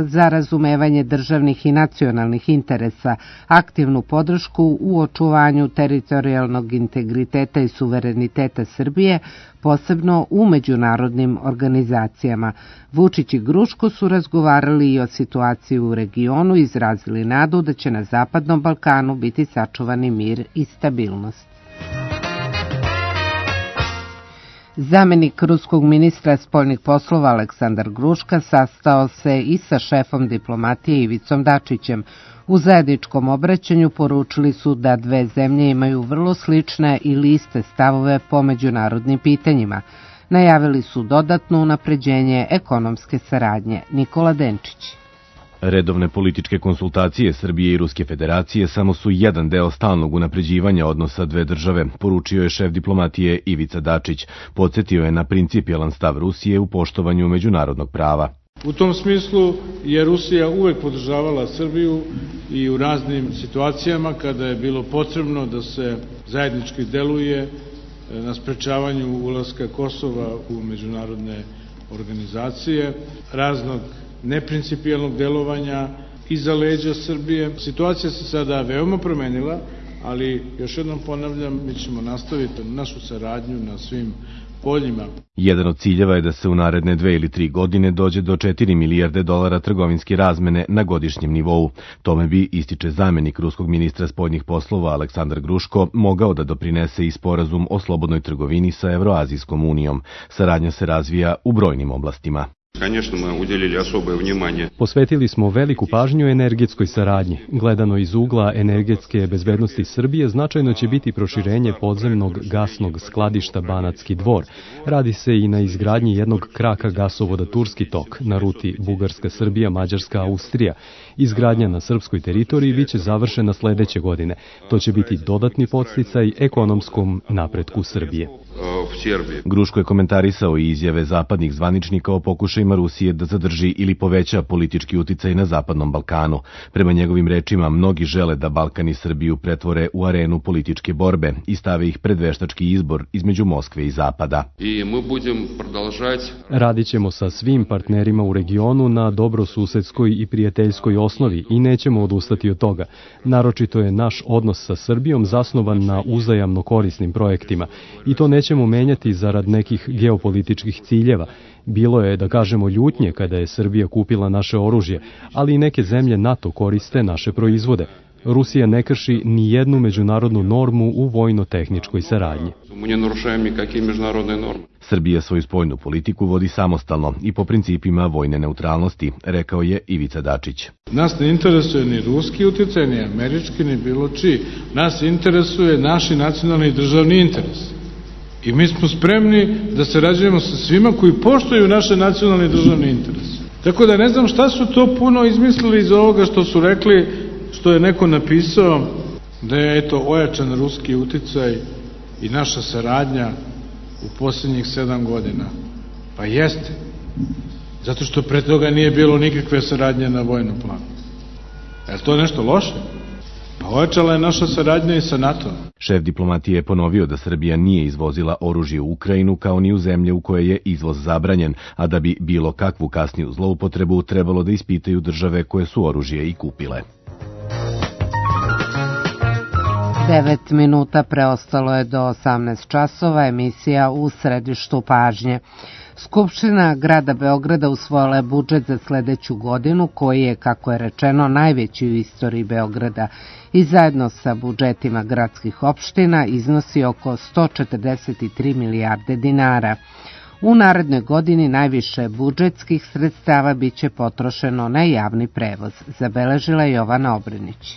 za razumevanje državnih i nacionalnih interesa, aktivnu podršku u očuvanju teritorijalnog integriteta i suvereniteta Srbije, posebno u međunarodnim organizacijama. Vučić i Gruško su razgovarali i o situaciji u regionu i izrazili nadu da će na Zapadnom Balkanu biti sačuvani mir i stabilnost. Zamenik ruskog ministra spoljnih poslova Aleksandar Gruška sastao se i sa šefom diplomatije Ivicom Dačićem. U zajedničkom obraćanju poručili su da dve zemlje imaju vrlo slične ili iste stavove po međunarodnim pitanjima. Najavili su dodatno unapređenje ekonomske saradnje. Nikola Denčić. Redovne političke konsultacije Srbije i Ruske federacije samo su jedan deo stalnog unapređivanja odnosa dve države, poručio je šef diplomatije Ivica Dačić. Podsjetio je na principijelan stav Rusije u poštovanju međunarodnog prava. U tom smislu je Rusija uvek podržavala Srbiju i u raznim situacijama kada je bilo potrebno da se zajednički deluje na sprečavanju ulaska Kosova u međunarodne organizacije, raznog neprincipijelnog delovanja iza leđa Srbije. Situacija se sada veoma promenila, ali još jednom ponavljam, mi ćemo nastaviti našu saradnju na svim poljima. Jedan od ciljeva je da se u naredne 2 ili 3 godine dođe do 4 milijarde dolara trgovinske razmene na godišnjem nivou. Tome bi, ističe zamenik ruskog ministra spoljnih poslova Aleksandar Gruško, mogao da doprinese i sporazum o slobodnoj trgovini sa Evroazijskom unijom. Saradnja se razvija u brojnim oblastima. Posvetili smo veliku pažnju energetskoj saradnji. Gledano iz ugla energetske bezbednosti Srbije, značajno će biti proširenje podzemnog gasnog skladišta Banatski Dvor. Radi se i na izgradnji jednog kraka gasovoda Turski tok na ruti Bugarska-Srbija, Mađarska-Austrija. Izgradnja na srpskoj teritoriji biće završena sledeće godine. To će biti dodatni podsticaj ekonomskom napretku Srbije. Gruško je komentarisao i izjave zapadnih zvaničnika o pokušajima Rusije da zadrži ili poveća politički uticaj na Zapadnom Balkanu. Prema njegovim rečima, mnogi žele da Balkan i Srbiju pretvore u arenu političke borbe i stave ih pred veštački izbor između Moskve i Zapada. Radit ćemo sa svim partnerima u regionu na dobrosusedskoj i prijateljskoj osnovi i nećemo odustati od toga. Naročito je naš odnos sa Srbijom zasnovan na uzajamno korisnim projektima i to nećemo menjati zarad nekih geopolitičkih ciljeva. Bilo je, da kažemo, ljutnje kada je Srbija kupila naše oružje, ali i neke zemlje NATO koriste naše proizvode. Rusija ne krši ni jednu međunarodnu normu u vojno-tehničkoj saradnji. Srbija svoju spoljnu politiku vodi samostalno i po principima vojne neutralnosti, rekao je Ivica Dačić. Nas ne interesuje ni ruski utjecaj, ni američki, ni bilo čiji. Nas interesuje naši nacionalni i državni interes. I mi smo spremni da sarađujemo sa svima koji poštuju naše nacionalne i državne interese. Tako da ne znam šta su to puno izmislili iz ovoga što su rekli, što je neko napisao, da je eto ojačan ruski uticaj i naša saradnja u posljednjih 7 godina. Pa jeste. Zato što pre toga nije bilo nikakve saradnje na vojnom planu. Je to nešto loše? Pa ojačala je naša saradnja i sa NATO. Šef diplomatije je ponovio da Srbija nije izvozila oružje u Ukrajinu kao ni u zemlje u koje je izvoz zabranjen, a da bi bilo kakvu kasniju zloupotrebu trebalo da ispitaju države koje su oružje i kupile. 9 minuta preostalo je do 18 časova, emisija U središtu pažnje. Skupština grada Beograda usvojila je budžet za sledeću godinu, koji je, kako je rečeno, najveći u istoriji Beograda i zajedno sa budžetima gradskih opština iznosi oko 143 milijarde dinara. U narednoj godini najviše budžetskih sredstava biće potrošeno na javni prevoz, zabeležila Jovana Obrenić.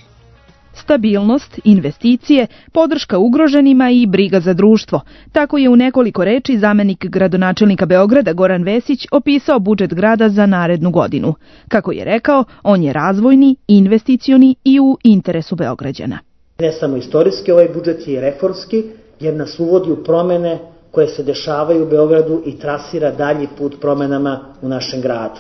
Stabilnost, investicije, podrška ugroženima i briga za društvo. Tako je u nekoliko reči zamenik gradonačelnika Beograda Goran Vesić opisao budžet grada za narednu godinu. Kako je rekao, on je razvojni, investicioni i u interesu Beograđana. Ne samo istorijski, ovaj budžet je i reformski, jer nas uvodi u promene koje se dešavaju u Beogradu i trasira dalji put promenama u našem gradu.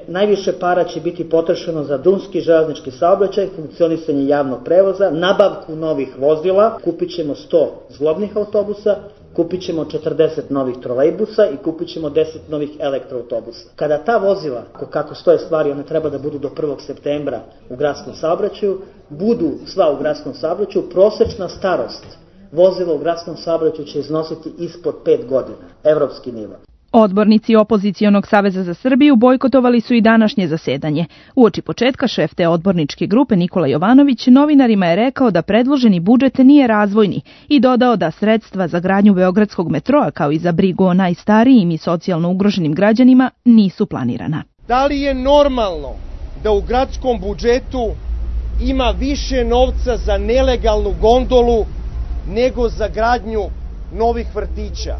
Najviše para će biti potrošeno za drumski železnički saobraćaj, funkcionisanje javnog prevoza, nabavku novih vozila, kupit ćemo 100 zglobnih autobusa, kupit ćemo 40 novih trolejbusa i kupit ćemo 10 novih elektroautobusa. Kada ta vozila, kako stoje stvari, one treba da budu do 1. septembra u gradskom saobraćaju, budu sva u gradskom saobraćaju, prosečna starost vozila u gradskom saobraćaju će iznositi ispod 5 godina, evropski nivo. Odbornici Opozicionog saveza za Srbiju bojkotovali su i današnje zasedanje. Uoči početka šef te odborničke grupe Nikola Jovanović novinarima je rekao da predloženi budžet nije razvojni i dodao da sredstva za gradnju beogradskog metroa kao i za brigu o najstarijim i socijalno ugroženim građanima nisu planirana. Da li je normalno da u gradskom budžetu ima više novca za nelegalnu gondolu nego za gradnju novih vrtića?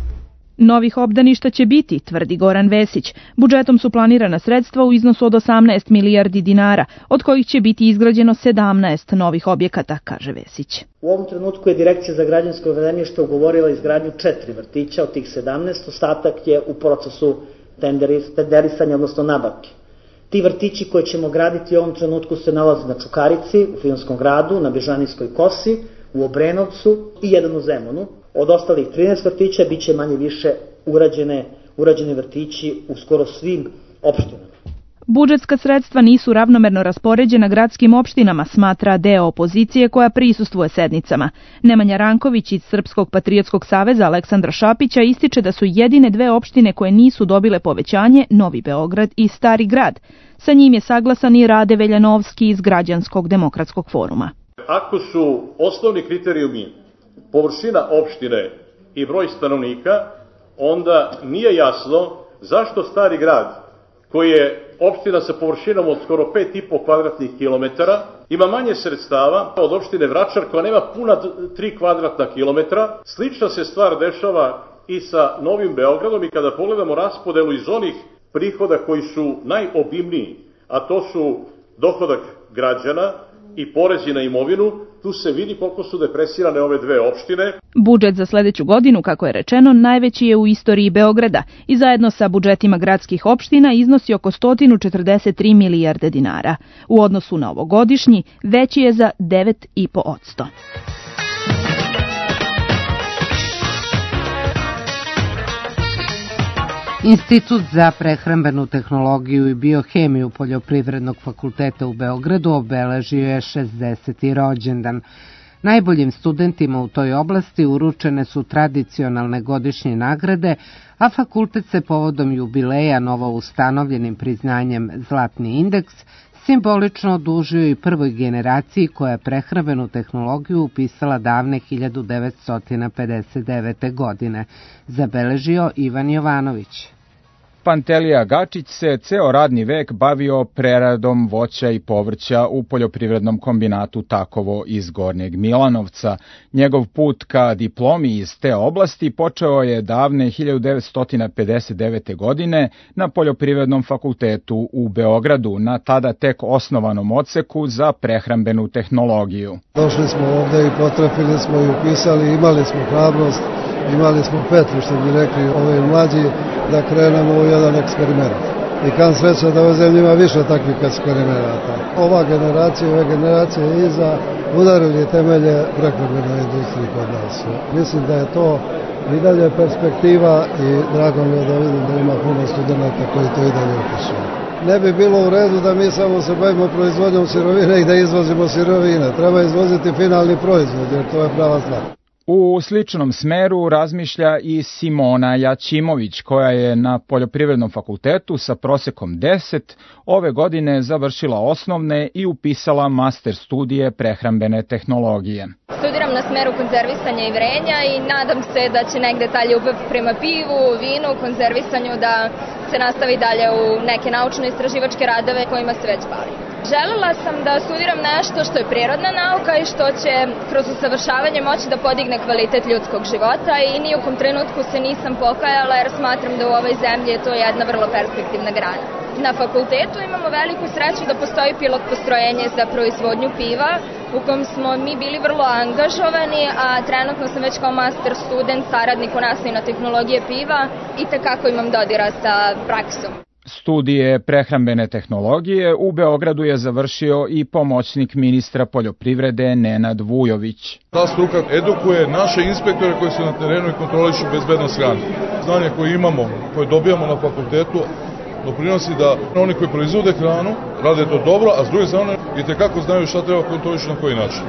Novih obdaništa će biti, tvrdi Goran Vesić. Budžetom su planirana sredstva u iznosu od 18 milijardi dinara, od kojih će biti izgrađeno 17 novih objekata, kaže Vesić. U ovom trenutku je Direkcija za građansko zemljište ugovorila izgradnju 4 vrtića, od tih 17, ostatak je u procesu tenderisanja, odnosno nabavke. Ti vrtići koje ćemo graditi u ovom trenutku se nalaze na Čukarici, u Filmskom gradu, na Bežanijskoj kosi, u Obrenovcu i jedan u Zemunu. Od ostalih 13 vrtića bit će manje više urađeni vrtići u skoro svim opštinama. Budžetska sredstva nisu ravnomerno raspoređena gradskim opštinama, smatra deo opozicije koja prisustvuje sednicama. Nemanja Ranković iz Srpskog patriotskog saveza Aleksandra Šapića ističe da su jedine 2 opštine koje nisu dobile povećanje Novi Beograd i Stari grad. Sa njim je saglasan i Rade Veljanovski iz Građanskog demokratskog foruma. Ako su osnovni kriterijumi površina opštine i broj stanovnika, onda nije jasno zašto Stari grad, koji je opština sa površinom od skoro 5,5 kvadratnih kilometara, ima manje sredstava od opštine Vračar koja nema puna 3 kvadratna kilometra. Slična se stvar dešava i sa Novim Beogradom i kada pogledamo raspodelu iz onih prihoda koji su najobimniji, a to su dohodak građana i porezi na imovinu, tu se vidi koliko su depresirane ove 2 opštine. Budžet za sledeću godinu, kako je rečeno, najveći je u istoriji Beograda i zajedno sa budžetima gradskih opština iznosi oko 143 milijarde dinara. U odnosu na ovogodišnji veći je za 9,5%. Institut za prehrambenu tehnologiju i biohemiju Poljoprivrednog fakulteta u Beogradu obeležio je 60. rođendan. Najboljim studentima u toj oblasti uručene su tradicionalne godišnje nagrade, a fakultet se povodom jubileja novo ustanovljenim priznanjem Zlatni indeks simbolično odužio i prvoj generaciji koja je prehrambenu tehnologiju upisala davne 1959. godine, zabeležio Ivan Jovanović. Pantelija Gačić se ceo radni vek bavio preradom voća i povrća u poljoprivrednom kombinatu Takovo iz Gornjeg Milanovca. Njegov put ka diplomi iz te oblasti počeo je davne 1959. godine na Poljoprivrednom fakultetu u Beogradu, na tada tek osnovanom odseku za prehrambenu tehnologiju. Došli smo ovde i potrefili smo i upisali, imali smo hrabrost, imali smo petru, što bi rekli ovi mlađi, da krenemo u jedan eksperiment. I kam sreća da ove zemlje ima više takvih eksperimenata. Ova generacija i ove generacije iza udarili temelje prehrambenoj industriji kod nas. Mislim da je to i dalje perspektiva i drago mi je da vidim da ima puno studenta koji to i dalje upisuju. Ne bi bilo u redu da mi samo se bavimo proizvodnjom sirovine i da izvozimo sirovine. Treba izvoziti finalni proizvod, jer to je prava stvar. U sličnom smeru razmišlja i Simona Jačimović, koja je na Poljoprivrednom fakultetu sa prosekom 10 ove godine završila osnovne i upisala master studije prehrambene tehnologije. Studiram na smeru konzervisanja i vrenja i nadam se da će negde ta ljubav prema pivu, vinu, konzervisanju da se nastavi dalje u neke naučno-istraživačke radove kojima se već bavim. Želela sam da studiram nešto što je prirodna nauka i što će kroz usavršavanje moći da podigne kvalitet ljudskog života i ni u kom trenutku se nisam pokajala jer smatram da u ovoj zemlji je to jedna vrlo perspektivna grana. Na fakultetu imamo veliku sreću da postoji pilot postrojenje za proizvodnju piva u kojem smo mi bili vrlo angažovani, a trenutno sam već kao master student, saradnik u nastavi na tehnologije piva i tekako imam dodira sa praksom. Studije prehrambene tehnologije u Beogradu je završio i pomoćnik ministra poljoprivrede Nenad Vujović. Ta struka edukuje naše inspektore koji su na terenu i kontrolišu bezbednost hrane. Znanje koje imamo, koje dobijamo na fakultetu, doprinosi da oni koji proizvode hranu rade to dobro, a s druge strane i tekako znaju šta treba kontrolišu na koji način.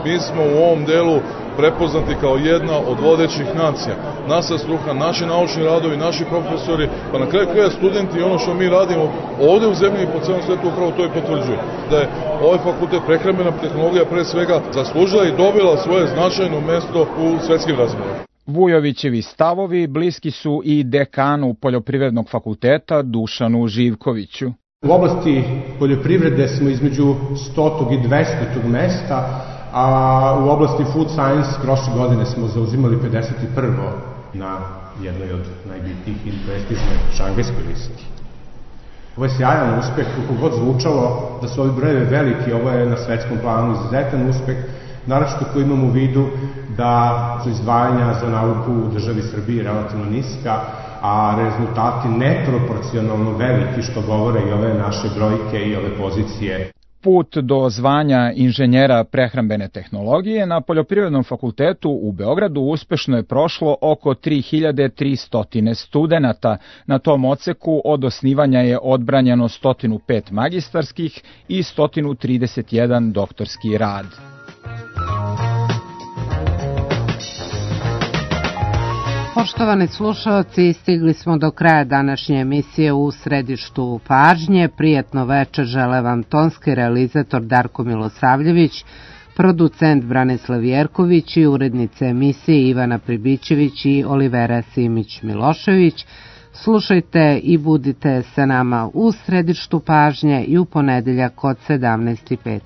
Mi smo u ovom delu prepoznati kao jedna od vodećih nacija. Naša struka, naši naučni radovi, naši profesori, pa na kraju kraja studenti i ono što mi radimo ovde u zemlji i po celom svetu upravo to i potvrđuje. Da je ovaj fakultet prehrambena tehnologija pre svega zaslužila i dobila svoje značajno mesto u svetskim razmjerima. Vujovićevi stavovi bliski su i dekanu Poljoprivrednog fakulteta Dušanu Živkoviću. U oblasti poljoprivrede smo između 100. i 200. mesta, a u oblasti food science prošle godine smo zauzimali 51. na jednoj od najbitnijih i prestižnoj šangajskoj listi. Ovo je sjajan uspeh, kako god zvučalo da su ovi brojevi veliki, ovo je na svetskom planu izuzetan uspeh, naročito ko imamo u vidu da su izdvajanja za nauku u državi Srbiji relativno niska, a rezultati neproporcionalno veliki, što govore i ove naše brojke i ove pozicije. Put do zvanja inženjera prehrambene tehnologije na Poljoprivrednom fakultetu u Beogradu uspešno je prošlo oko 3300 studenata. Na tom odseku od osnivanja je odbranjeno 105 magistarskih i 131 doktorski rad. Poštovani slušalci, stigli smo do kraja današnje emisije U središtu pažnje. Prijatno večer žele vam tonski realizator Darko Milosavljević, producent Branislav Jerković i urednice emisije Ivana Pribićević i Olivera Simić-Milošević. Slušajte i budite sa nama U središtu pažnje i u ponedeljak od 17:05.